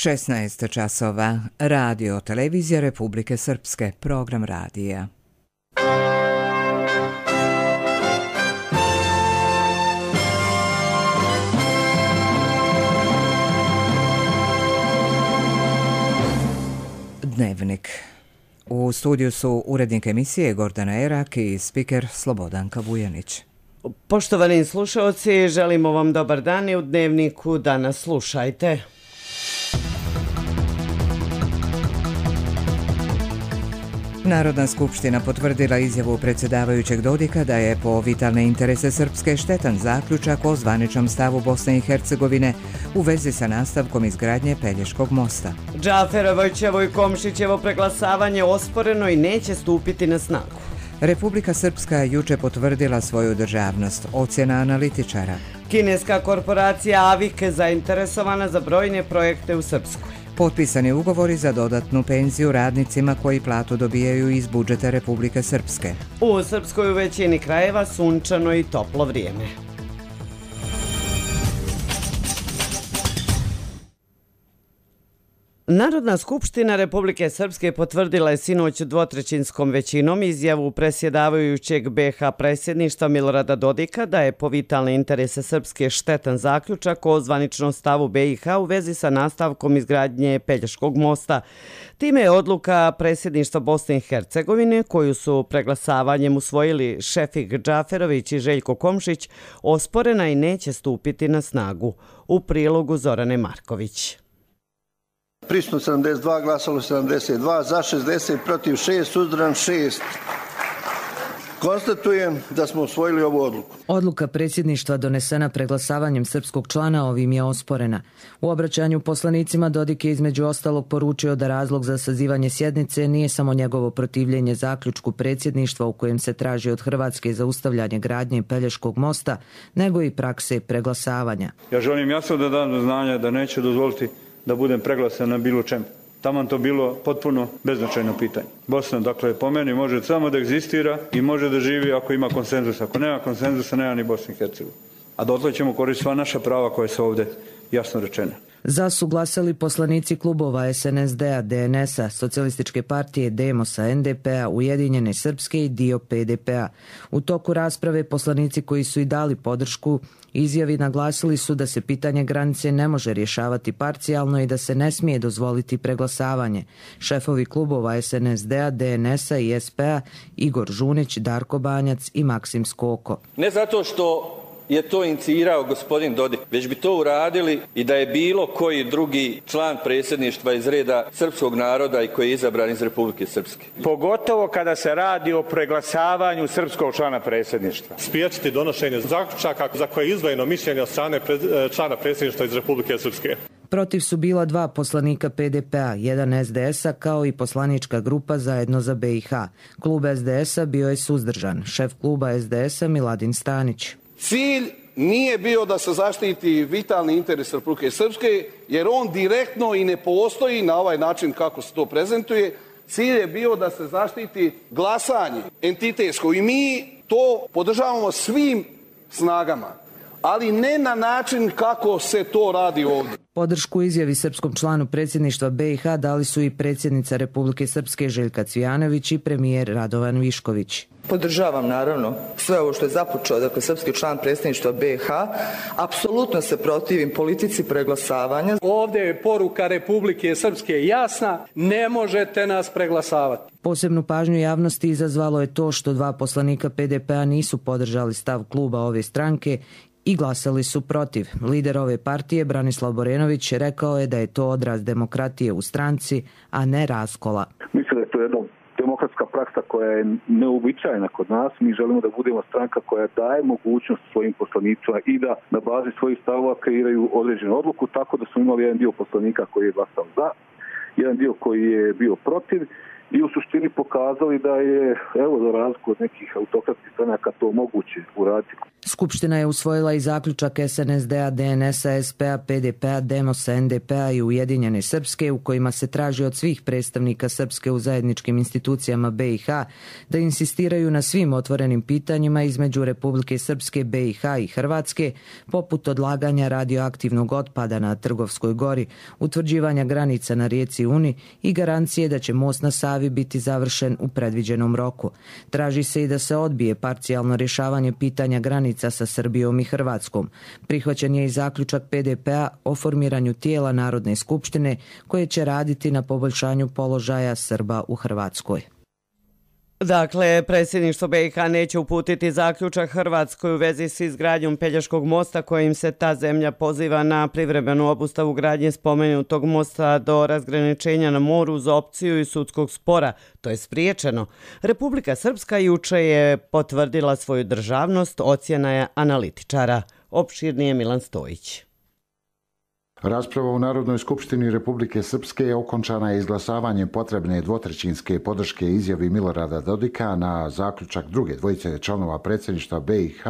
16 časova. Radio Televizija Republike Srpske. Program radija. Dnevnik. U studiju su urednik emisije Gordana Erak i spiker Slobodanka Vujanić. Poštovani slušalci, želimo vam dobar dan i u Dnevniku danas slušajte. Narodna skupština potvrdila izjavu predsjedavajućeg Dodika da je po vitalne interese Srpske štetan zaključak o zvaničnom stavu Bosne i Hercegovine u vezi sa nastavkom izgradnje Pelješkog mosta. Džaferovićevo i Komšićevo preglasavanje osporeno i neće stupiti na snagu. Republika Srpska juče potvrdila svoju državnost, ocjena analitičara. Kineska korporacija Avik zainteresovana za brojne projekte u Srpskoj. Potpisani ugovori za dodatnu penziju radnicima koji platu dobijaju iz budžeta Republike Srpske. U Srpskoj u većini krajeva sunčano i toplo vrijeme. Narodna skupština Republike Srpske potvrdila je sinoć dvotrećinskom većinom izjavu predsjedavajućeg BiH predsjedništva Milorada Dodika da je po vitalne interese Srpske štetan zaključak o zvaničnom stavu BiH u vezi sa nastavkom izgradnje Pelješkog mosta. Time je odluka predsjedništva Bosne i Hercegovine, koju su preglasavanjem usvojili Šefik Džaferović i Željko Komšić, osporena i neće stupiti na snagu. U prilogu Zorane Marković. Prisutno 72, glasalo 72, za 60, protiv 6, suzdržan 6. Konstatujem da smo usvojili ovu odluku. Odluka predsjedništva donesena preglasavanjem srpskog člana ovim je osporena. U obraćanju poslanicima Dodik je između ostalog poručio da razlog za sazivanje sjednice nije samo njegovo protivljenje zaključku predsjedništva u kojem se traži od Hrvatske zaustavljanje gradnje Pelješkog mosta, nego i prakse preglasavanja. Ja želim jasno da dam do znanja da neće dozvoliti da budem preglasan na bilo čemu. Taman to bilo potpuno beznačajno pitanje. Bosna, dakle, po meni može samo da egzistira i može da živi ako ima konsenzus. Ako nema konsenzusa, nema ni Bosne i Hercegovine. A dotle ćemo koristiti sva naša prava koje su ovdje jasno rečene. Za su glasali poslanici klubova SNSD-a, DNS-a, Socijalističke partije, Demosa, NDP-a, Ujedinjene Srpske i dio PDP-a. U toku rasprave poslanici koji su i dali podršku izjavi naglasili su da se pitanje granice ne može rješavati parcijalno i da se ne smije dozvoliti preglasavanje. Šefovi klubova SNSD-a, DNS-a i SP-a Igor Žunić, Darko Banjac i Maksim Skoko. Ne zato što je to inicirao gospodin Dodik, već bi to uradili i da je bilo koji drugi član predsjedništva iz reda srpskog naroda i koji je izabran iz Republike Srpske. Pogotovo kada se radi o preglasavanju srpskog člana predsjedništva. Spriječiti donošenje zaključaka za koje je izdvojeno mišljenje od strane člana predsjedništva iz Republike Srpske. Protiv su bila dva poslanika PDP-a, jedan SDS-a kao i poslanička grupa Zajedno za BiH. Klub SDS-a bio je suzdržan, šef kluba SDS-a Miladin Stanić. Cilj nije bio da se zaštiti vitalni interes Republike Srpske, jer on direktno i ne postoji na ovaj način kako se to prezentuje. Cilj je bio da se zaštiti glasanje entitetsko i mi to podržavamo svim snagama, ali ne na način kako se to radi ovdje. Podršku izjavi srpskom članu predsjedništva BiH dali su i predsjednica Republike Srpske Željka Cvijanović i premijer Radovan Višković. Podržavam naravno sve ovo što je započeo, dakle srpski član predsjedništva BiH. Apsolutno se protivim politici preglasavanja. Ovdje je poruka Republike Srpske jasna, ne možete nas preglasavati. Posebnu pažnju javnosti izazvalo je to što dva poslanika PDP-a nisu podržali stav kluba ove stranke i glasali su protiv. Lider ove partije, Branislav Borenović, rekao je da je to odraz demokratije u stranci, a ne raskola. Mislim da je to jedna demokratska praksa koja je neuobičajena kod nas. Mi želimo da budemo stranka koja daje mogućnost svojim poslanicima i da na bazi svojih stavova kreiraju određenu odluku, tako da smo imali jedan dio poslanika koji je glasao za, jedan dio koji je bio protiv i u suštini pokazali da je, evo, za razliku od nekih autokratskih stranaka, to moguće uraditi. Skupština je usvojila i zaključak SNSD-a, DNS-a, SP-a, PDP-a, Demosa, NDP-a i Ujedinjene Srpske u kojima se traži od svih predstavnika Srpske u zajedničkim institucijama BiH da insistiraju na svim otvorenim pitanjima između Republike Srpske, BiH i Hrvatske, poput odlaganja radioaktivnog otpada na Trgovskoj gori, utvrđivanja granica na rijeci Uni i garancije da će most na Savi biti završen u predviđenom roku. Traži se i da se odbije parcijalno rješavanje pitanja granica sa Srbijom i Hrvatskom. Prihvaćen je i zaključak PDP-a o formiranju tijela Narodne skupštine koje će raditi na poboljšanju položaja Srba u Hrvatskoj. Dakle, predsjedništvo BiH neće uputiti zaključak Hrvatskoj u vezi s izgradnjom Pelješkog mosta kojim se ta zemlja poziva na privremenu obustavu gradnje spomenutog mosta do razgraničenja na moru za opciju i sudskog spora. To je spriječeno. Republika Srpska juče je potvrdila svoju državnost, ocjena je analitičara. Opširnije Milan Stojić. Rasprava u Narodnoj skupštini Republike Srpske okončana je izglasavanjem potrebne dvotrećinske podrške izjavi Milorada Dodika na zaključak druge dvojice članova predsjedništva BiH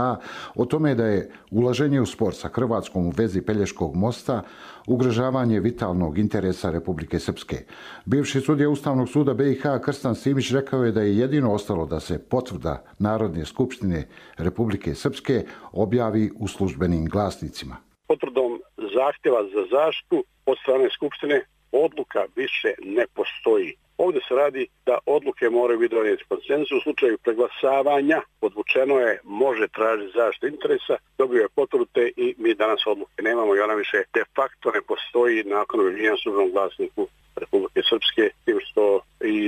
o tome da je ulaženje u spor sa Hrvatskom u vezi Pelješkog mosta ugrožavanje vitalnog interesa Republike Srpske. Bivši sudija Ustavnog suda BiH Krstan Simić rekao je da je jedino ostalo da se potvrda Narodne skupštine Republike Srpske objavi u službenim glasnicima. Potvrdom zahtjeva za zaštitu od strane Skupštine odluka više ne postoji. Ovdje se radi da odluke moraju biti donijeti konsenzus. U slučaju preglasavanja podvučeno je može tražiti zaštitu interesa, dobio je potvrde i mi danas odluke nemamo i ona više de facto ne postoji nakon objavljivanja u službenom glasniku Republike Srpske, tim što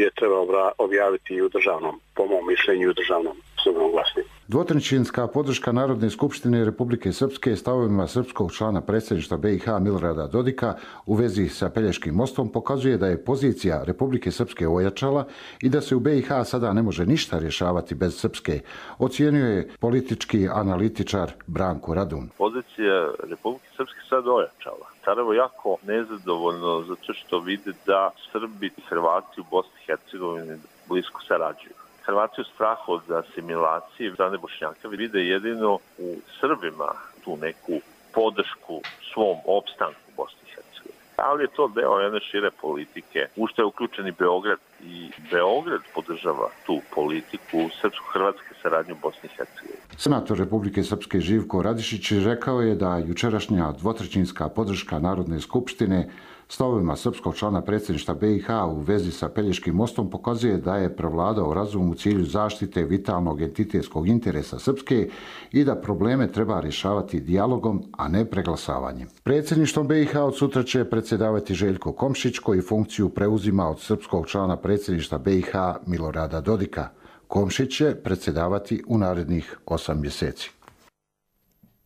je treba objaviti i u državnom, po mom mišljenju, u državnom službenom glasniku. Dvotrećinska podrška Narodne skupštine Republike Srpske stavovima srpskog člana predsjedništva BiH Milorada Dodika u vezi sa Pelješkim mostom pokazuje da je pozicija Republike Srpske ojačala i da se u BiH sada ne može ništa rješavati bez Srpske, ocijenio je politički analitičar Branko Radun. Pozicija Republike Srpske sada ojačala. Sarajevo jako nezadovoljno zato što vide da Srbi i Hrvati u Bosni i Hercegovini blisko sarađuju. Hrvati u strahu od asimilacije strane Bošnjaka vide jedino u Srbima tu neku podršku svom opstanku u Bosni i Hercegovini. Ali je to deo jedne šire politike, u što je uključen i Beograd. I Beograd podržava tu politiku srpsko-hrvatske saradnje u Bosni i Hercegovini. Senator Republike Srpske Živko Radišić rekao je da jučerašnja dvotrećinska podrška Narodne skupštine stavovima srpskog člana predsjedništva BiH u vezi sa Pelješkim mostom pokazuje da je prevladao razum u cilju zaštite vitalnog entitetskog interesa Srpske i da probleme treba rješavati dijalogom, a ne preglasavanjem. Predsjedništvom BiH od sutra će predsjedavati Željko Komšić, koji funkciju preuzima od srpskog člana predsjedništva BiH Milorada Dodika. Komšić će predsjedavati u narednih 8 mjeseci.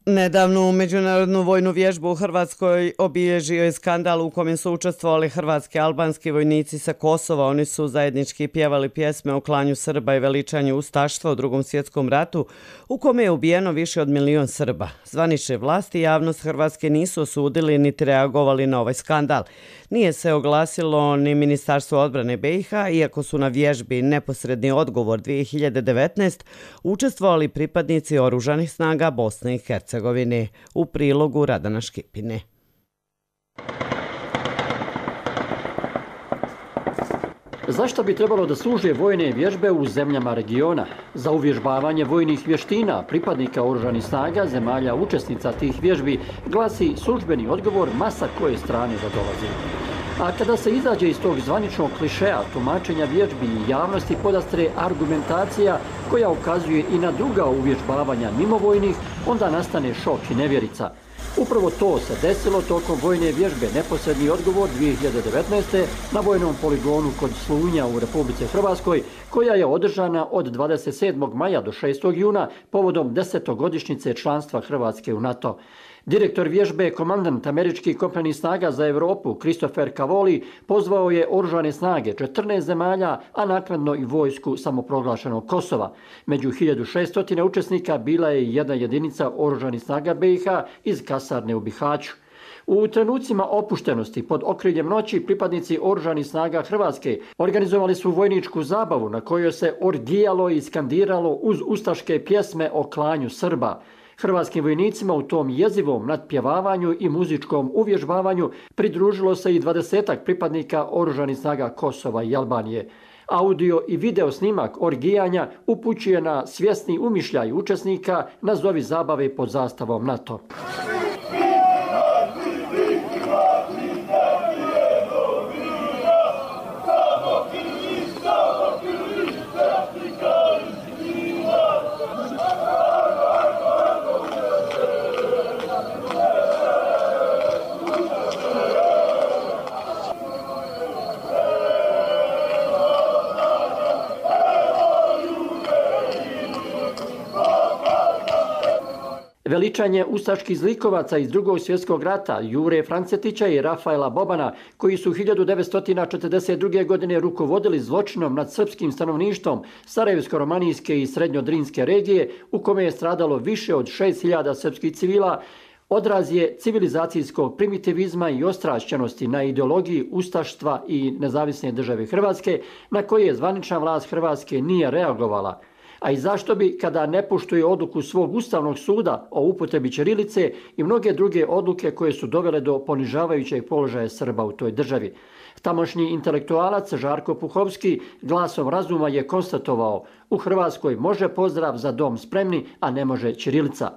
Nedavnu međunarodnu vojnu vježbu u Hrvatskoj obilježio je skandal u kojem su učestvovali hrvatski i albanski vojnici sa Kosova. Oni su zajednički pjevali pjesme o klanju Srba i veličanju ustaštva u Drugom svjetskom ratu, u kome je ubijeno više od 1 milion Srba. Zvanične vlasti i javnost Hrvatske nisu osudili niti reagovali na ovaj skandal. Nije se oglasilo ni Ministarstvo odbrane BiH, iako su na vježbi Neposredni odgovor 2019 učestvovali pripadnici oružanih snaga Bosne i Hercegovine. U prilogu Radana Škipine. Zašto bi trebalo da služe vojne vježbe u zemljama regiona? Za uvježbavanje vojnih vještina pripadnika oružanih snaga zemalja učesnica tih vježbi glasi službeni odgovor masa koje strane da dolazi. A kada se izađe iz tog zvaničnog klišeja tumačenja vježbi i javnosti podastre argumentacija koja ukazuje i na druga uvježbavanja mimo vojnih, onda nastane šok i nevjerica. Upravo to se desilo tokom vojne vježbe Neposredni odgovor 2019. na vojnom poligonu kod Slunja u Republici Hrvatskoj, koja je održana od 27. maja do 6. juna povodom 10-godišnjice članstva Hrvatske u NATO. Direktor vježbe, komandant američkih kopnenih snaga za Europu, Christopher Cavoli, pozvao je oružane snage 14 zemalja, a naknadno i vojsku samoproglašenog Kosova. Među 1600 učesnika bila je i jedna jedinica oružanih snaga BiH iz kasarne u Bihaću. U trenucima opuštenosti pod okriljem noći pripadnici Oružanih snaga Hrvatske organizovali su vojničku zabavu na kojoj se orgijalo i skandiralo uz ustaške pjesme o klanju Srba. Hrvatskim vojnicima u tom jezivom nadpjevavanju i muzičkom uvježbavanju pridružilo se i 20-ak pripadnika Oružanih snaga Kosova i Albanije. Audio i video snimak orgijanja upućuje na svjesni umišljaj učesnika nazovi zabave pod zastavom NATO. Veličanje ustaških zlikovaca iz Drugog svjetskog rata Jure Francetića i Rafaela Bobana, koji su 1942. godine rukovodili zločinom nad srpskim stanovništvom Sarajevsko-romanijske i Srednjodrinske regije, u kome je stradalo više od 6.000 srpskih civila, odraz je civilizacijskog primitivizma i ostrašćenosti na ideologiji ustaštva i nezavisne države Hrvatske, na koje zvanična vlast Hrvatske nije reagovala. A i zašto bi, kada ne poštuje odluku svog Ustavnog suda o upotrebi ćirilice i mnoge druge odluke koje su dovele do ponižavajućeg položaja Srba u toj državi. Tamošnji intelektualac Žarko Puhovski glasom razuma je konstatovao: u Hrvatskoj može pozdrav za dom spremni, a ne može ćirilica.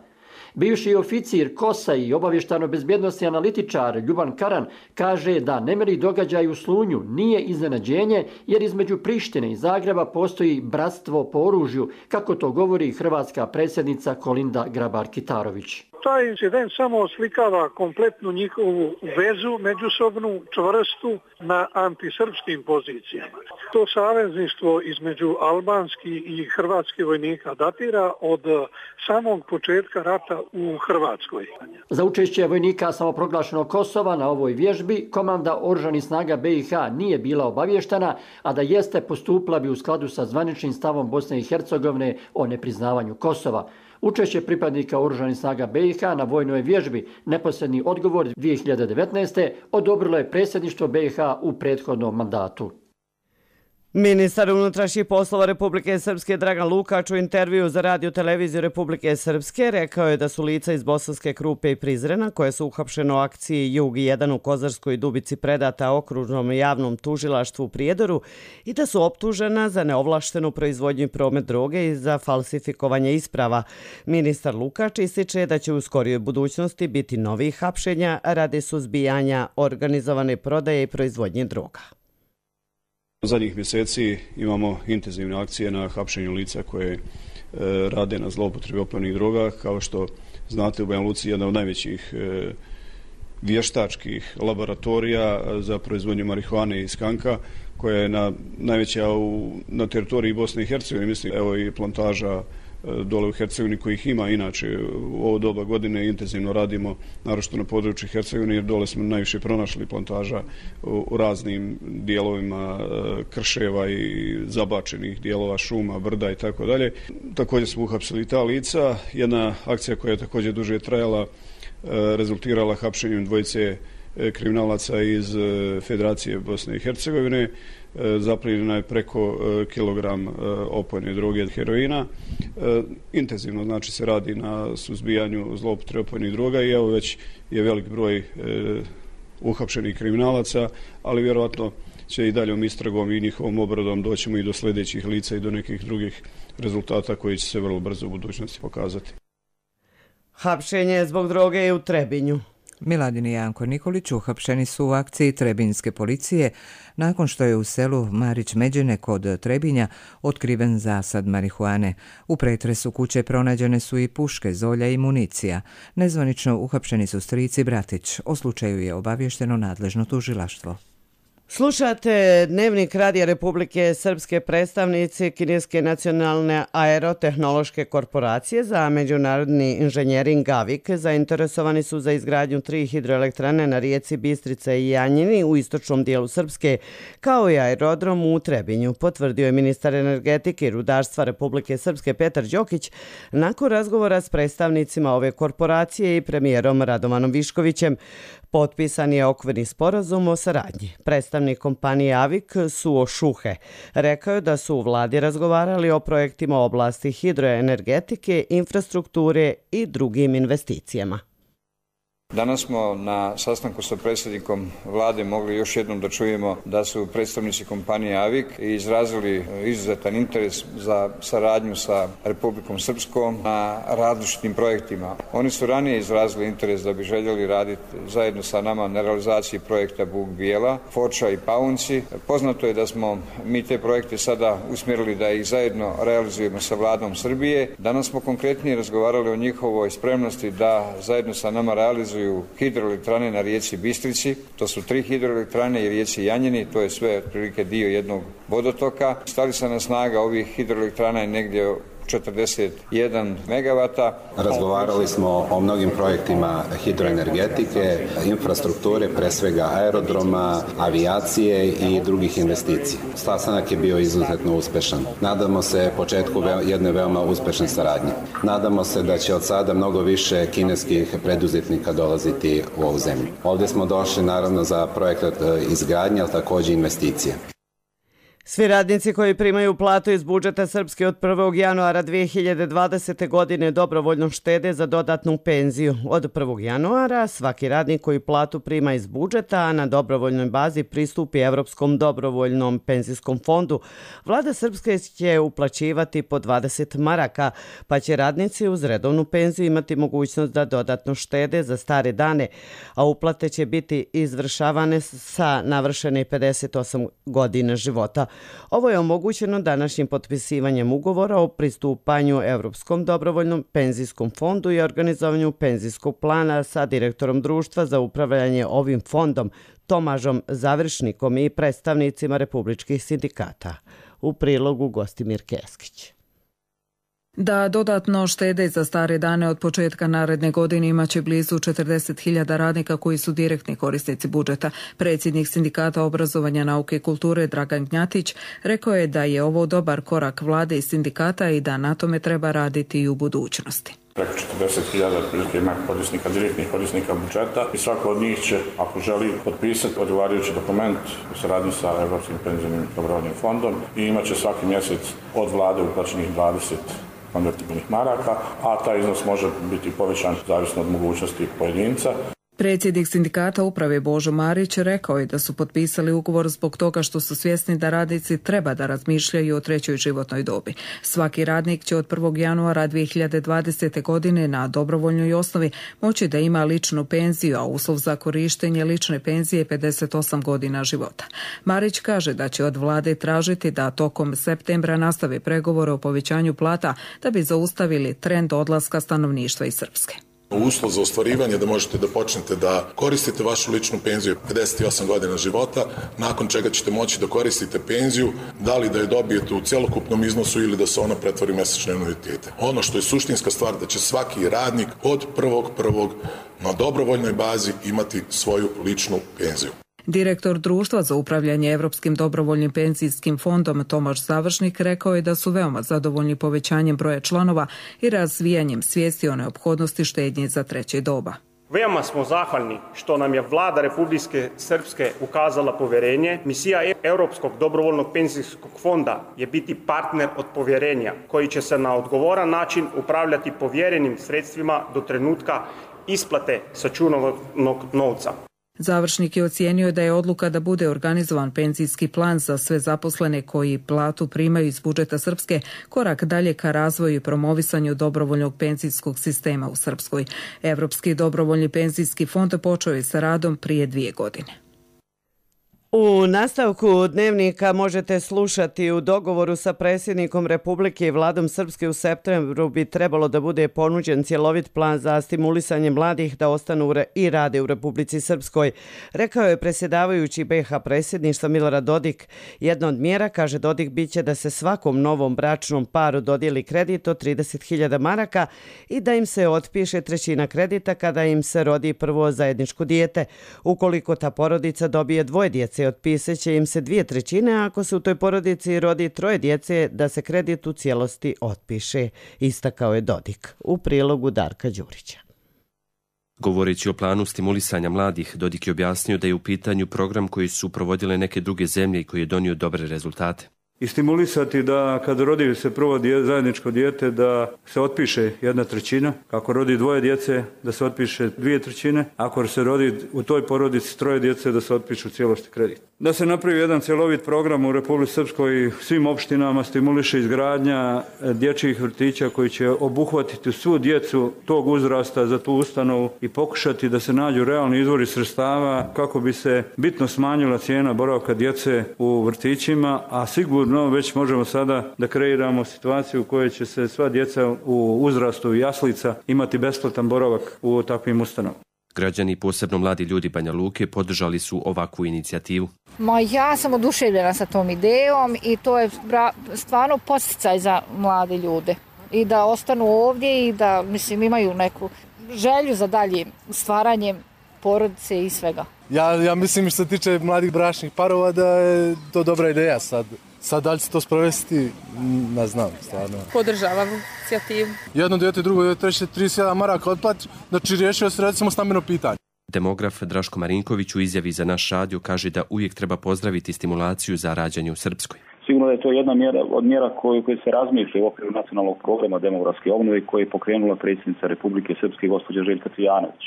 Bivši oficir KOS-a i obavještajno-bezbjednosni analitičar Ljuban Karan kaže da nemiri događaj u Slunju nije iznenađenje, jer između Prištine i Zagreba postoji bratstvo po oružju, kako to govori hrvatska predsjednica Kolinda Grabar-Kitarović. Taj incident samo oslikava kompletnu njihovu vezu, međusobnu, čvrstu na antisrpskim pozicijama. To savezništvo između albanskih i hrvatskih vojnika datira od samog početka rata u Hrvatskoj. Za učešće vojnika samoproglašenog Kosova na ovoj vježbi komanda Oružanih snaga BiH nije bila obavještena, a da jeste postupila bi u skladu sa zvaničnim stavom Bosne i Hercegovine o nepriznavanju Kosova. Učešće pripadnika Oružanih snaga BiH na vojnoj vježbi, neposredni odgovor 2019. odobrilo je predsjedništvo BiH u prethodnom mandatu. Ministar unutrašnjih poslova Republike Srpske Dragan Lukač u intervju za Radio televiziju Republike Srpske rekao je da su lica iz Bosanske Krupe i Prizrena, koje su uhapšene u akciji Jug 1 u Kozarskoj Dubici, predata okružnom javnom tužilaštvu u Prijedoru i da su optužena za neovlaštenu proizvodnju i promet droge i za falsifikovanje isprava. Ministar Lukač ističe da će u skorijoj budućnosti biti novih hapšenja radi suzbijanja organizovane prodaje i proizvodnje droga. Zadnjih mjeseci imamo intenzivne akcije na hapšenju lica koje rade na zloupotrebi opojnih droga. Kao što znate, u Banja Luci je jedna od najvećih vještačkih laboratorija za proizvodnju marihuane i skanka, koja je najveća na teritoriji Bosne i Hercegovine. Mislim, evo i plantaža dole u Hercegovini, kojih ima inače u ovo doba godine. Intenzivno radimo, naročito na području Hercegovine, jer dole smo najviše pronašli plantaža u raznim dijelovima krševa i zabačenih dijelova šuma, brda i tako dalje. Također smo uhapsili ta lica. Jedna akcija koja je također duže trajala rezultirala hapšenjem dvojice kriminalaca iz Federacije Bosne i Hercegovine. Zaplijenjeno je preko kilogram opojne droge heroina. Intenzivno znači se radi na suzbijanju zloupotrebe opojnih droga i evo već je velik broj uhapšenih kriminalaca, ali vjerojatno će i daljom istragom i njihovom obradom doćemo i do sljedećih lica i do nekih drugih rezultata koji će se vrlo brzo u budućnosti pokazati. Hapšenje zbog droge je u Trebinju. Miladin i Janko Nikolić uhapšeni su u akciji Trebinjske policije nakon što je u selu Marić-Međene kod Trebinja otkriven zasad marihuane. U pretresu kuće pronađene su i puške, zolja i municija. Nezvanično uhapšeni su stric i bratić. O slučaju je obavješteno nadležno tužilaštvo. Slušate Dnevnik Radija Republike Srpske. Predstavnici Kineske nacionalne aerotehnološke korporacije za međunarodni inženjering AVIK zainteresovani su za izgradnju 3 hidroelektrane na rijeci Bistrica i Janjini u istočnom dijelu Srpske, kao i aerodrom u Trebinju, potvrdio je ministar energetike i rudarstva Republike Srpske Petar Đokić nakon razgovora s predstavnicima ove korporacije i premijerom Radovanom Viškovićem. Potpisan je okvirni sporazum o saradnji. Predstavnik kompanije AVIK Suo Šuhe rekao je da su u vladi razgovarali o projektima u oblasti hidroenergetike, infrastrukture i drugim investicijama. Danas smo na sastanku sa predsjednikom vlade mogli još jednom da čujemo da su predstavnici kompanije AVIK izrazili izuzetan interes za saradnju sa Republikom Srpskom na različitim projektima. Oni su ranije izrazili interes da bi željeli raditi zajedno sa nama na realizaciji projekta Buk Bijela, Foča i Paunci. Poznato je da smo mi te projekte sada usmjerili da ih zajedno realizujemo sa vladom Srbije. Danas smo konkretnije razgovarali o njihovoj spremnosti da zajedno sa nama realizuju hidroelektrane na rijeci Bistrici. To su 3 hidroelektrane i rijeci Janjini, to je sve otprilike dio jednog vodotoka. Stvarna snaga ovih hidroelektrana je negdje 41 megavata. Razgovarali smo o mnogim projektima hidroenergetike, infrastrukture, pre svega aerodroma, avijacije i drugih investicija. Sastanak je bio izuzetno uspešan. Nadamo se početku jedne veoma uspešne saradnje. Nadamo se da će od sada mnogo više kineskih preduzetnika dolaziti u ovu zemlju. Ovdje smo došli naravno za projekat izgradnje, ali također investicije. Svi radnici koji primaju platu iz budžeta Srpske od 1. januara 2020. godine dobrovoljno štede za dodatnu penziju. Od 1. januara svaki radnik koji platu prima iz budžeta, a na dobrovoljnoj bazi pristupi Evropskom dobrovoljnom penzijskom fondu, vlada Srpske će uplaćivati po 20 maraka, pa će radnici uz redovnu penziju imati mogućnost da dodatno štede za stare dane, a uplate će biti izvršavane sa navršene 58 godina života. Ovo je omogućeno današnjim potpisivanjem ugovora o pristupanju Evropskom dobrovoljnom penzijskom fondu i organizovanju penzijskog plana sa direktorom društva za upravljanje ovim fondom Tomažom Završnikom i predstavnicima republičkih sindikata. U prilogu Gostimir Keskić. Da dodatno štede za stare dane od početka naredne godine imaće blizu 40.000 radnika koji su direktni korisnici budžeta. Predsjednik Sindikata obrazovanja, nauke i kulture Dragan Gnjatić rekao je da je ovo dobar korak vlade i sindikata i da na tome treba raditi i u budućnosti. Preko 40.000 otprilike ima korisnika, direktnih korisnika budžeta i svako od njih će, ako želi, potpisati odgovarajući dokument u saradnji sa Evropskim penzijskim dobrovoljnim fondom i imaće svaki mjesec od vlade uplaćenih 20 konvertibilnih maraka, a taj iznos može biti povećan zavisno od mogućnosti pojedinca. Predsjednik Sindikata uprave Božo Marić rekao je da su potpisali ugovor zbog toga što su svjesni da radnici treba da razmišljaju o trećoj životnoj dobi. Svaki radnik će od 1. januara 2020. godine na dobrovoljnoj osnovi moći da ima ličnu penziju, a uslov za korištenje lične penzije je 58 godina života. Marić kaže da će od vlade tražiti da tokom septembra nastave pregovore o povećanju plata da bi zaustavili trend odlaska stanovništva iz Srpske. Uslov za ostvarivanje da možete da počnete da koristite vašu ličnu penziju 58 godina života, nakon čega ćete moći da koristite penziju, da li da je dobijete u celokupnom iznosu ili da se ona pretvori u mesečne anuitete. Ono što je suštinska stvar da će svaki radnik od 1.1. na dobrovoljnoj bazi imati svoju ličnu penziju. Direktor društva za upravljanje Evropskim dobrovoljnim penzijskim fondom Tomaž Završnik rekao je da su veoma zadovoljni povećanjem broja članova i razvijanjem svijesti o neophodnosti štednje za treće doba. Veoma smo zahvalni što nam je vlada Republike Srpske ukazala povjerenje. Misija Europskog dobrovoljnog penzijskog fonda je biti partner od povjerenja koji će se na odgovoran način upravljati povjerenim sredstvima do trenutka isplate sačuvanog novca. Završnik je ocijenio da je odluka da bude organizovan penzijski plan za sve zaposlene koji platu primaju iz budžeta Srpske korak dalje ka razvoju i promovisanju dobrovoljnog penzijskog sistema u Srpskoj. Evropski dobrovoljni penzijski fond počeo je sa radom prije 2 godine. U nastavku dnevnika možete slušati u dogovoru sa predsjednikom Republike i vladom Srpske u septembru bi trebalo da bude ponuđen cjelovit plan za stimulisanje mladih da ostanu i rade u Republici Srpskoj, rekao je predsjedavajući BiH predsjedništva Milorad Dodik. Jedna od mjera, kaže Dodik, biće da se svakom novom bračnom paru dodijeli kredit od 30.000 maraka i da im se otpiše trećina kredita kada im se rodi prvo zajedničko dijete. Ukoliko ta porodica dobije dvoje djece, otpisat će im se 2/3, a ako se u toj porodici rodi 3 djece, da se kredit u cijelosti otpiše, istakao je Dodik. U prilogu Darka Đurića. Govoreći o planu stimulisanja mladih, Dodik je objasnio da je u pitanju program koji su provodile neke druge zemlje i koji je donio dobre rezultate. I stimulisati da kad rodi se prvo zajedničko dijete da se otpiše 1/3, kako rodi 2 djece da se otpiše 2/3, ako se rodi u toj porodici 3 djece da se otpiše u cijelosti kredit. Da se napravi jedan cjelovit program u Republici Srpskoj i svim opštinama stimuliše izgradnja dječjih vrtića koji će obuhvatiti svu djecu tog uzrasta za tu ustanovu i pokušati da se nađu realni izvori sredstava kako bi se bitno smanjila cijena boravka djece u vrtićima, a sigurno već možemo sada da kreiramo situaciju u kojoj će se sva djeca u uzrastu jaslica imati besplatan boravak u takvim ustanovama. Građani, posebno mladi ljudi Banja Luke, podržali su ovakvu inicijativu. Ja sam oduševljena sa tom idejom i to je stvarno podsticaj za mlade ljude. I da ostanu ovdje i da imaju neku želju za dalje stvaranjem porodice i svega. Ja mislim što se tiče mladih bračnih parova da je to dobra ideja sad. Sad da li će to sprovesti, ne znam, stvarno. Podržavam inicijativu. Jedno dijete, drugo dijete, treće 37 maraka otplati, znači riješio se recimo stambeno pitanje. Demograf Draško Marinković u izjavi za naš radio kaže da uvijek treba pozdraviti stimulaciju za rađanje u Srpskoj. Sigurno da je to jedna od mjera koje se razmišlja u okviru nacionalnog programa demografske obnove koje je pokrenula predsjednica Republike Srpske gospođa Željka Cvijanović.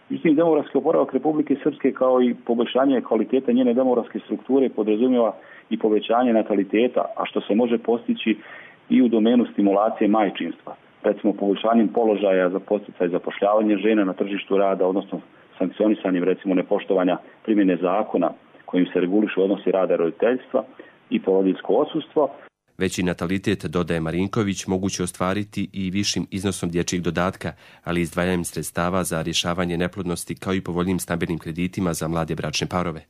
Međutim, demografski oporavak Republike Srpske kao i poboljšanje kvalitete njene demografske strukture podrazumijeva i povećanje nataliteta, a što se može postići i u domenu stimulacije majčinstva. Recimo poboljšanjem položaja za podsticaj zapošljavanja žena na tržištu rada, odnosno sankcionisanjem recimo nepoštovanja primjene zakona kojim se regulišu odnosi rada i roditeljstva i porodiljsko odsustvo. Veći natalitet, dodaje Marinković, moguće ostvariti i višim iznosom dječjeg dodatka, ali izdvajanjem sredstava za rješavanje neplodnosti kao i povoljnim stambenim kreditima za mlade bračne parove.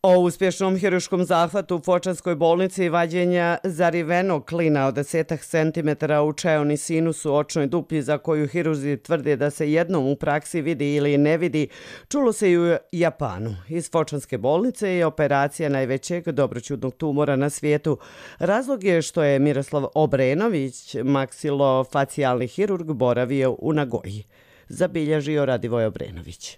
O uspješnom hiruškom zahvatu u Fočanskoj bolnici i vađenja zarivenog klina od 10 cm u čeoni sinus u očnoj duplji za koju hirurzi tvrde da se jednom u praksi vidi ili ne vidi, čulo se i u Japanu. Iz Fočanske bolnice je operacija najvećeg dobroćudnog tumora na svijetu. Razlog je što je Miroslav Obrenović, maksilofacijalni hirurg, boravio u Nagoji. Zabilježio Radivoj Obrenović.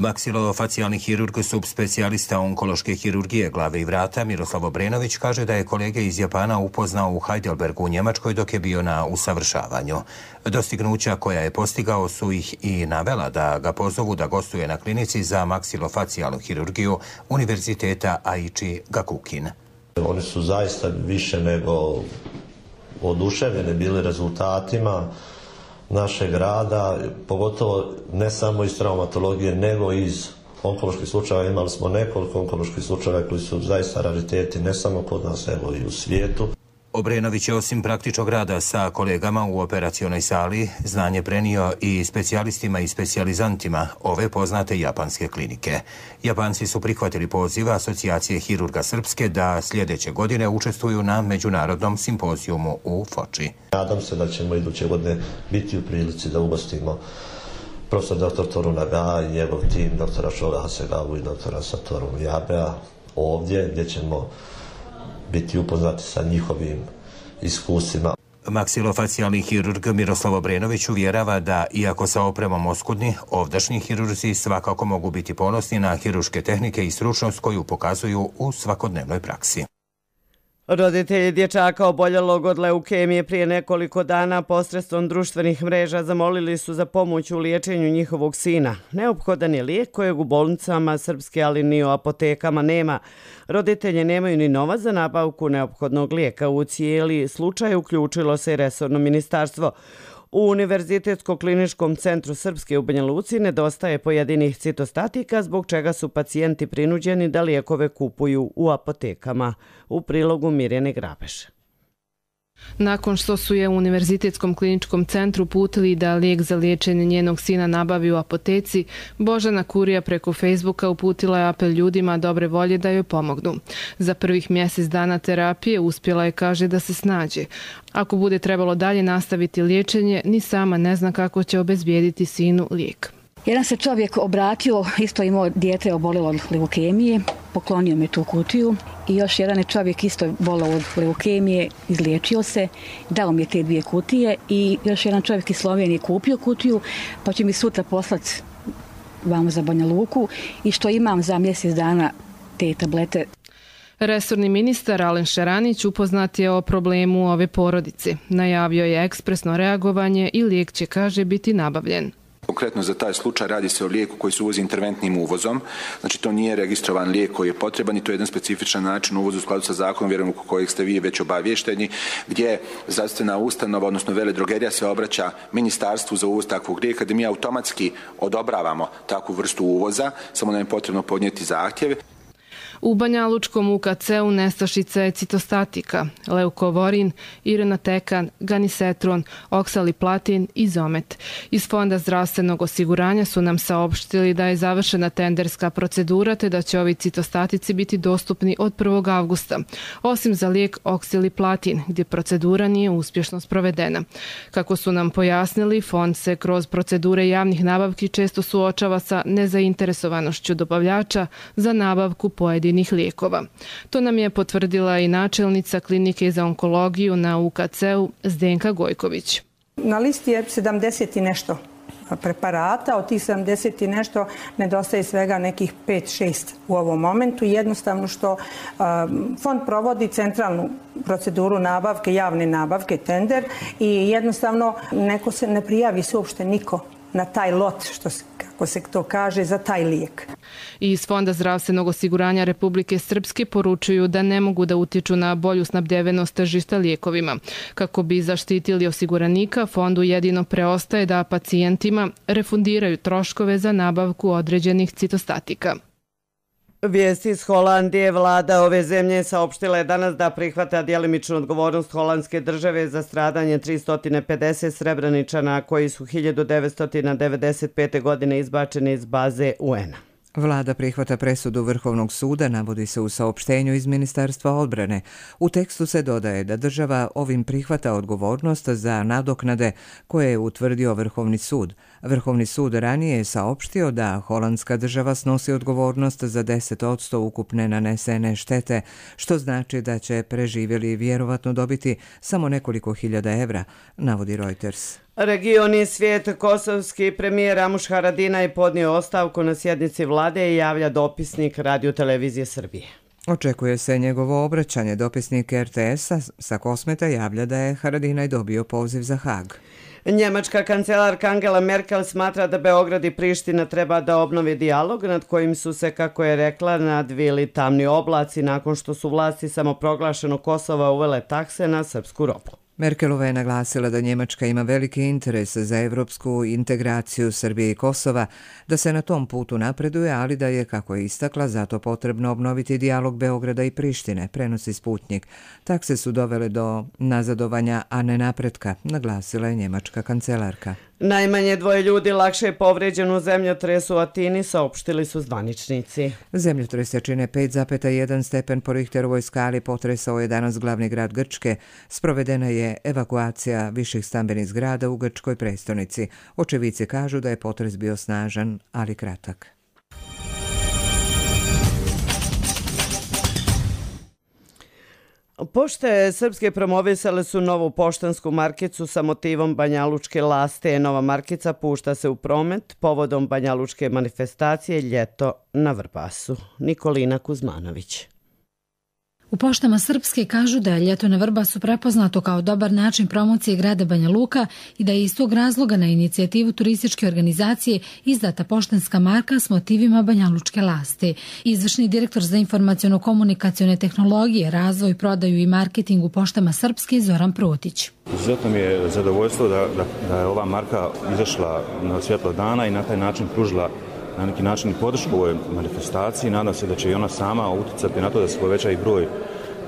Maksilofacijalni hirurg, subspecijalista onkološke hirurgije glave i vrata Miroslav Obrenović kaže da je kolege iz Japana upoznao u Heidelbergu u Njemačkoj dok je bio na usavršavanju. Dostignuća koja je postigao su ih i navela da ga pozovu da gostuje na klinici za maksilofacijalnu hirurgiju Univerziteta Aichi Gakukin. Oni su zaista više nego oduševljeni bili rezultatima našeg rada, pogotovo ne samo iz traumatologije, nego iz onkoloških slučajeva. Imali smo nekoliko onkoloških slučajeva koji su zaista rariteti, ne samo kod nas, nego i u svijetu. Obrenović je osim praktičnog rada sa kolegama u operacionoj sali znanje prenio i specijalistima i specijalizantima ove poznate japanske klinike. Japanci su prihvatili poziv Asocijacije hirurga Srpske da sljedeće godine učestvuju na međunarodnom simpozijumu u Foči. Nadam se da ćemo iduće godine biti u prilici da ugostimo profesor dr. Toru Naga i njegov tim, doktora Šora Hasegavu i doktora Satoru Jabea ovdje gdje ćemo biti upoznati sa njihovim iskustvima. Maksilofacijalni hirurg Miroslav Obrenović uvjerava da, iako sa opremom oskudni, ovdašnji hirurzi svakako mogu biti ponosni na hiruške tehnike i stručnost koju pokazuju u svakodnevnoj praksi. Roditelji dječaka oboljelog od leukemije prije nekoliko dana posredstvom društvenih mreža zamolili su za pomoć u liječenju njihovog sina. Neophodan je lijek kojeg u bolnicama Srpske, ali ni u apotekama nema. Roditelji nemaju ni novac za nabavku neophodnog lijeka. U cijeli slučaj uključilo se i resorno ministarstvo. U Univerzitetsko-kliničkom centru Srpske u Banja Luci nedostaje pojedinih citostatika, zbog čega su pacijenti prinuđeni da lijekove kupuju u apotekama. U prilogu Mirjane Grabeš. Nakon što su je u Univerzitetskom kliničkom centru putili da lijek za liječenje njenog sina nabavi u apoteci, Božana Kurija preko Facebooka uputila je apel ljudima dobre volje da joj pomognu. Za prvih mjesec dana terapije uspjela je, kaže, da se snađe. Ako bude trebalo dalje nastaviti liječenje, ni sama ne zna kako će obezbijediti sinu lijek. Jedan se čovjek obratio, isto imao dijete obolilo od leukemije, poklonio mi tu kutiju i još jedan je čovjek isto bolao od leukemije, izliječio se, dao mi je te 2 kutije i još jedan čovjek iz Slovenije kupio kutiju, pa će mi sutra poslati vamo za Banja Luku i što imam za mjesec dana te tablete. Resorni ministar Alen Šeranić upoznat je o problemu ove porodice. Najavio je ekspresno reagovanje i lijek će, kaže, biti nabavljen. Konkretno za taj slučaj radi se o lijeku koji se uvozi interventnim uvozom. Znači to nije registrovan lijek koji je potreban i to je jedan specifičan način uvoza u skladu sa zakonom, vjerujem oko kojeg ste vi već obavješteni, gdje zdravstvena ustanova, odnosno veledrogerija se obraća ministarstvu za uvoz takvog lijeka, gdje mi automatski odobravamo takvu vrstu uvoza, samo nam je potrebno podnijeti zahtjeve. U Banjalučkom UKC-u nestašica je citostatika, leukovorin, irinotekan, ganisetron, oksaliplatin i zomet. Iz Fonda zdravstvenog osiguranja su nam saopštili da je završena tenderska procedura te da će ovi citostatici biti dostupni od 1. avgusta, osim za lijek oksaliplatin, gdje procedura nije uspješno sprovedena. Kako su nam pojasnili, Fond se kroz procedure javnih nabavki često suočava sa nezainteresovanošću dobavljača za nabavku pojedinih lijekova. To nam je potvrdila i načelnica klinike za onkologiju na UKC-u Zdenka Gojković. Na listi je 70 i nešto preparata, od tih 70 i nešto nedostaje svega nekih 5-6 u ovom momentu. Jednostavno što Fond provodi centralnu proceduru nabavke, javne nabavke, tender i jednostavno neko se ne prijavi se uopšte niko na taj lot, kako se to kaže, za taj lijek. Iz Fonda zdravstvenog osiguranja Republike Srpske poručuju da ne mogu da utječu na bolju snabdevenost tržišta lijekovima. Kako bi zaštitili osiguranika, Fondu jedino preostaje da pacijentima refundiraju troškove za nabavku određenih citostatika. Vijesti iz Holandije. Vlada ove zemlje saopštila je danas da prihvata djelimičnu odgovornost holandske države za stradanje 350 Srebreničana koji su 1995. godine izbačeni iz baze UN-a. Vlada prihvata presudu Vrhovnog suda, navodi se u saopštenju iz Ministarstva odbrane. U tekstu se dodaje da država ovim prihvata odgovornost za nadoknade koje je utvrdio Vrhovni sud. Vrhovni sud ranije je saopštio da holandska država snosi odgovornost za 10% ukupne nanesene štete, što znači da će preživjeli vjerovatno dobiti samo nekoliko hiljada evra, navodi Reuters. Region i svijet. Kosovski premijer Ramuš Haradinaj podnio ostavku na sjednici vlade i javlja dopisnik Radio-televizije Srbije. Očekuje se njegovo obraćanje. Dopisnik RTS-a sa Kosmeta javlja da je Haradinaj dobio poziv za Hag. Njemačka kancelarka Angela Merkel smatra da Beograd i Priština treba da obnovi dijalog nad kojim su se, kako je rekla, nadvili tamni oblaci nakon što su vlasti samoproglašenog Kosova uvele takse na srpsku robu. Merkelova je naglasila da Njemačka ima veliki interes za evropsku integraciju Srbije i Kosova, da se na tom putu napreduje, ali da je, kako je istakla, zato potrebno obnoviti dijalog Beograda i Prištine, prenosi Sputnik. Takse su dovele do nazadovanja, a ne napretka, naglasila je njemačka kancelarka. Najmanje 2 ljudi lakše je povrijeđeno u zemljotresu u Atini, saopštili su zvaničnici. Zemljotres čine 5,1 stepen po Richterovoj skali, potresao je danas glavni grad Grčke. Sprovedena je evakuacija viših stambenih zgrada u grčkoj prestonici. Očevici kažu da je potres bio snažan, ali kratak. Pošte srpske promovisale su novu poštansku markicu sa motivom banjalučke laste. Nova markica pušta se u promet povodom banjalučke manifestacije Ljeto na Vrbasu. Nikolina Kuzmanović. U Poštama Srpske kažu da je ljeto na Vrbasu prepoznato kao dobar način promocije grada Banja Luka i da je iz tog razloga na inicijativu turističke organizacije izdata poštanska marka s motivima banjalučke lasti. Izvršni direktor za informaciono-komunikacione tehnologije, razvoj, prodaju i marketing u Poštama Srpske Zoran Protić. Izuzetno mi je zadovoljstvo da je ova marka izašla na svjetlo dana i na taj način pružila na neki način i podršku ovoj manifestaciji. Nadam se da će i ona sama utjecati na to da se poveća i broj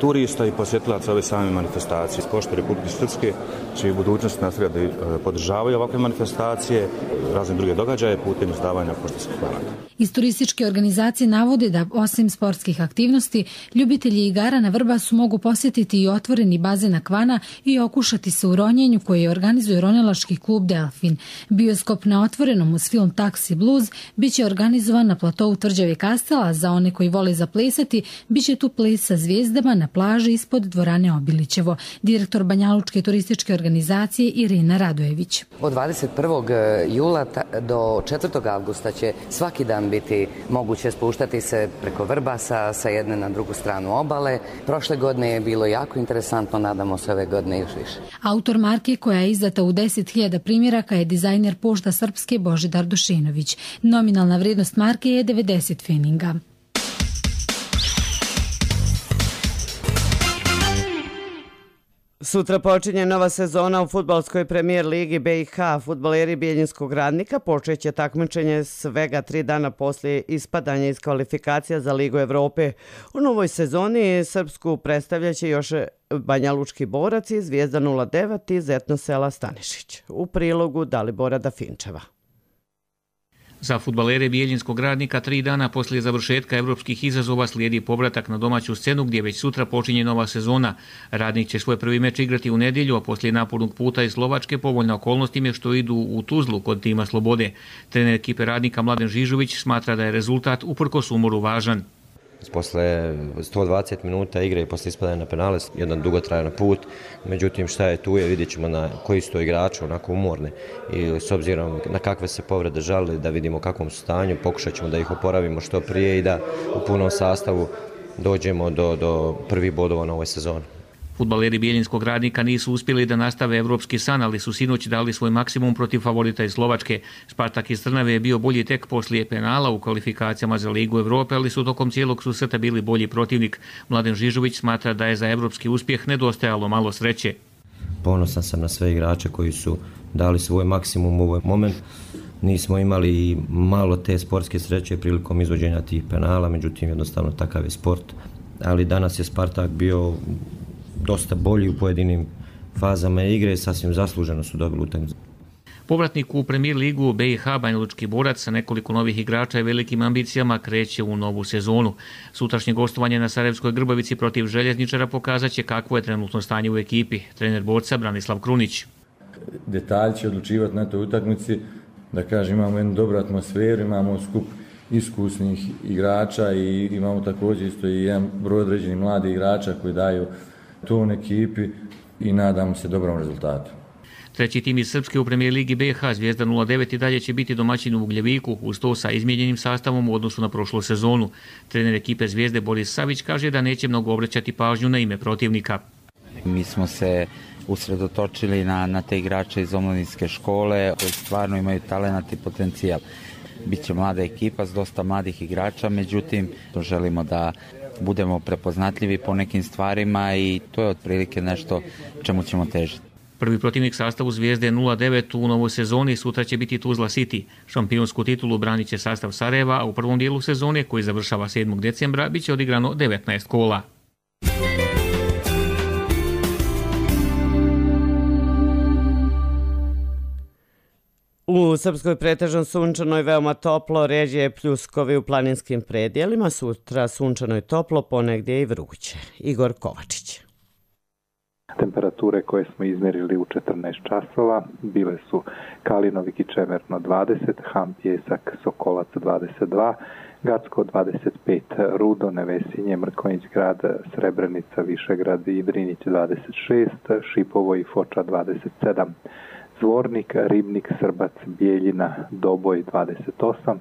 turista i posjetilaca ove same manifestacije. Pošte Republike Srpske će i u budućnosti nastavljati da podržavaju ovakve manifestacije, razne druge događaje putem izdavanja poštanskih maraka. Iz turističke organizacije navode da osim sportskih aktivnosti, ljubitelji igara na Vrbasu mogu posjetiti i otvoreni bazen Akvana i okušati se u ronjenju koje organizuje ronilački klub Delfin. Bioskop na otvorenom uz film Taxi Blues biće organizovan na platovu Tvrđave Kastela, za one koji vole zaplesati, biće tu ples sa zvijezdama na plaži ispod dvorane Obilićevo. Direktor Banjalučke turističke organizacije Irina Radojević. Od 21. jula do 4. avgusta će svaki dan biti moguće spuštati se preko Vrbasa sa jedne na drugu stranu obale. Prošle godine je bilo jako interesantno, nadamo se ove godine još više. Autor marke koja je izdata u 10.000 primjeraka je dizajner Pošta Srpske Božidar Dušinović. Nominalna vrijednost marke je 90 feninga. Sutra počinje nova sezona u fudbalskoj premijer ligi BiH. Fudbaleri Bijeljinskog Radnika počeće takmičenje svega 3 dana poslije ispadanja iz kvalifikacija za Ligu Evrope. U novoj sezoni Srpsku predstavljaće još Banjalučki Borac i Zvijezda 09 iz etno sela Stanišić. U prilogu Dalibora Dafinčeva. Za fudbalere Bijeljinskog Radnika 3 dana poslije završetka evropskih izazova slijedi povratak na domaću scenu gdje već sutra počinje nova sezona. Radnik će svoj prvi meč igrati u nedjelju, a poslije napornog puta iz Slovačke povoljna okolnost im je što idu u Tuzlu kod tima Slobode. Trener ekipe Radnika Mladen Žižović smatra da je rezultat uprkos umoru važan. Posle 120 minuta igre i posle ispadanja na penale, jedan dugotrajan put, međutim šta je tu je, vidjet ćemo na koji su to igrači onako umorni i s obzirom na kakve se povrede žalili, da vidimo u kakvom su stanju, pokušat ćemo da ih oporavimo što prije i da u punom sastavu dođemo do prvih bodova na ovoj sezoni. Fudbaleri Bijeljinskog Radnika nisu uspjeli da nastave evropski san, ali su sinoć dali svoj maksimum protiv favorita iz Slovačke. Spartak iz Trnave je bio bolji tek poslije penala u kvalifikacijama za Ligu Evrope, ali su tokom cijelog susreta bili bolji protivnik. Mladen Žižović smatra da je za evropski uspjeh nedostajalo malo sreće. Ponosan sam na sve igrače koji su dali svoj maksimum u ovaj moment. Nismo imali malo te sportske sreće prilikom izvođenja tih penala, međutim jednostavno takav je sport. Ali danas je Spartak bio dosta bolji u pojedinim fazama igre, sasvim zasluženo su dobili utakmicu. Povratnik u Premier ligu BiH Banjalučki Borac sa nekoliko novih igrača i velikim ambicijama kreće u novu sezonu. Sutrašnje gostovanje na Sarajevskoj Grbavici protiv Željezničara pokazat će kakvo je trenutno stanje u ekipi. Trener borca Branislav Krunić. Detalj će odlučivati na toj utakmici, da kažem, imamo jednu dobru atmosferu, imamo skup iskusnih igrača i imamo također isto i jedan broj određenih mladih igrača koji daju ton ekipi i nadam se dobrom rezultatu. Treći tim iz Srpske u Premier ligi BiH Zvijezda 09 i dalje će biti domaćin u Ugljeviku, uz to sa izmijenjenim sastavom u odnosu na prošlu sezonu. Trener ekipe Zvijezde Boris Savić kaže da neće mnogo obraćati pažnju na ime protivnika. Mi smo se usredotočili na te igrače iz omladinske škole koji stvarno imaju talenat i potencijal. Biće mlada ekipa s dosta mladih igrača, međutim želimo da budemo prepoznatljivi po nekim stvarima i to je otprilike nešto čemu ćemo težiti. Prvi protivnik sastavu Zvijezde 09 u novoj sezoni sutra će biti Tuzla City. Šampionsku titulu branit će sastav Sarajeva, a u prvom dijelu sezone, koji završava 7. decembra, bit će odigrano 19 kola. U Srpskoj pretežno sunčano i veoma toplo, ređe pljuskovi u planinskim predjelima, sutra sunčano i toplo, ponegdje i vruće. Igor Kovačić. Temperature koje smo izmjerili u 14 časova bile su Kalinovik i Čemerno 20, Ham, Pjesak, Sokolac 22, Gacko 25, Rudo, Nevesinje, Mrkonjić grad, Srebrenica, Višegrad i Drinić 26, Šipovo i Foča 27. Zvornik, Ribnik, Srbac, Bijeljina, Doboj 28,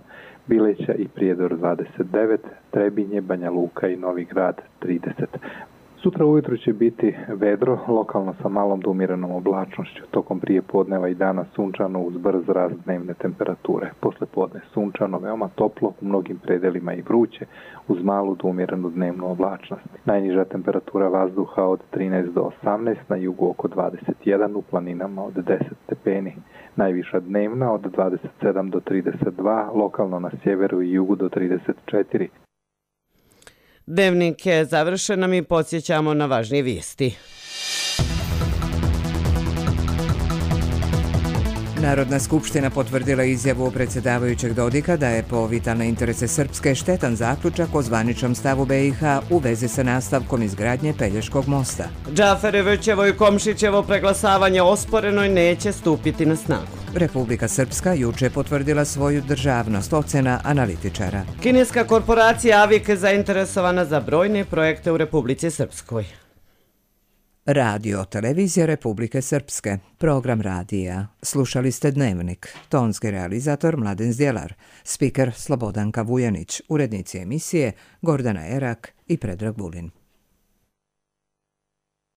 Bileća i Prijedor 29, Trebinje, Banja Luka i Novi Grad 30. Sutra ujutro će biti vedro, lokalno sa malom do umjerenom oblačnošću. Tokom prije podneva i dana sunčano uz brz rast dnevne temperature. Posle podne sunčano, veoma toplo, u mnogim predelima i vruće, uz malu do umjerenu dnevnu oblačnost. Najniža temperatura vazduha od 13 do 18, na jugu oko 21, u planinama od 10 stepeni. Najviša dnevna od 27 do 32, lokalno na sjeveru i jugu do 34. Dnevnik je završen, a mi podsjećamo na važnije vijesti. Narodna skupština potvrdila izjavu predsjedavajućeg Dodika da je po vitalne interese Srpske štetan zaključak o zvaničnom stavu BiH u vezi sa nastavkom izgradnje Pelješkog mosta. Džaferevićevo i Komšićevo preglasavanje osporeno i neće stupiti na snagu. Republika Srpska juče potvrdila svoju državnost, ocena analitičara. Kineska korporacija Avik je zainteresovana za brojne projekte u Republici Srpskoj. Radio televizija Republike Srpske, program radija. Slušali ste Dnevnik, tonski realizator Mladen Zdjelar, spiker Slobodanka Vujanić, urednici emisije Gordana Erak i Predrag Vulin.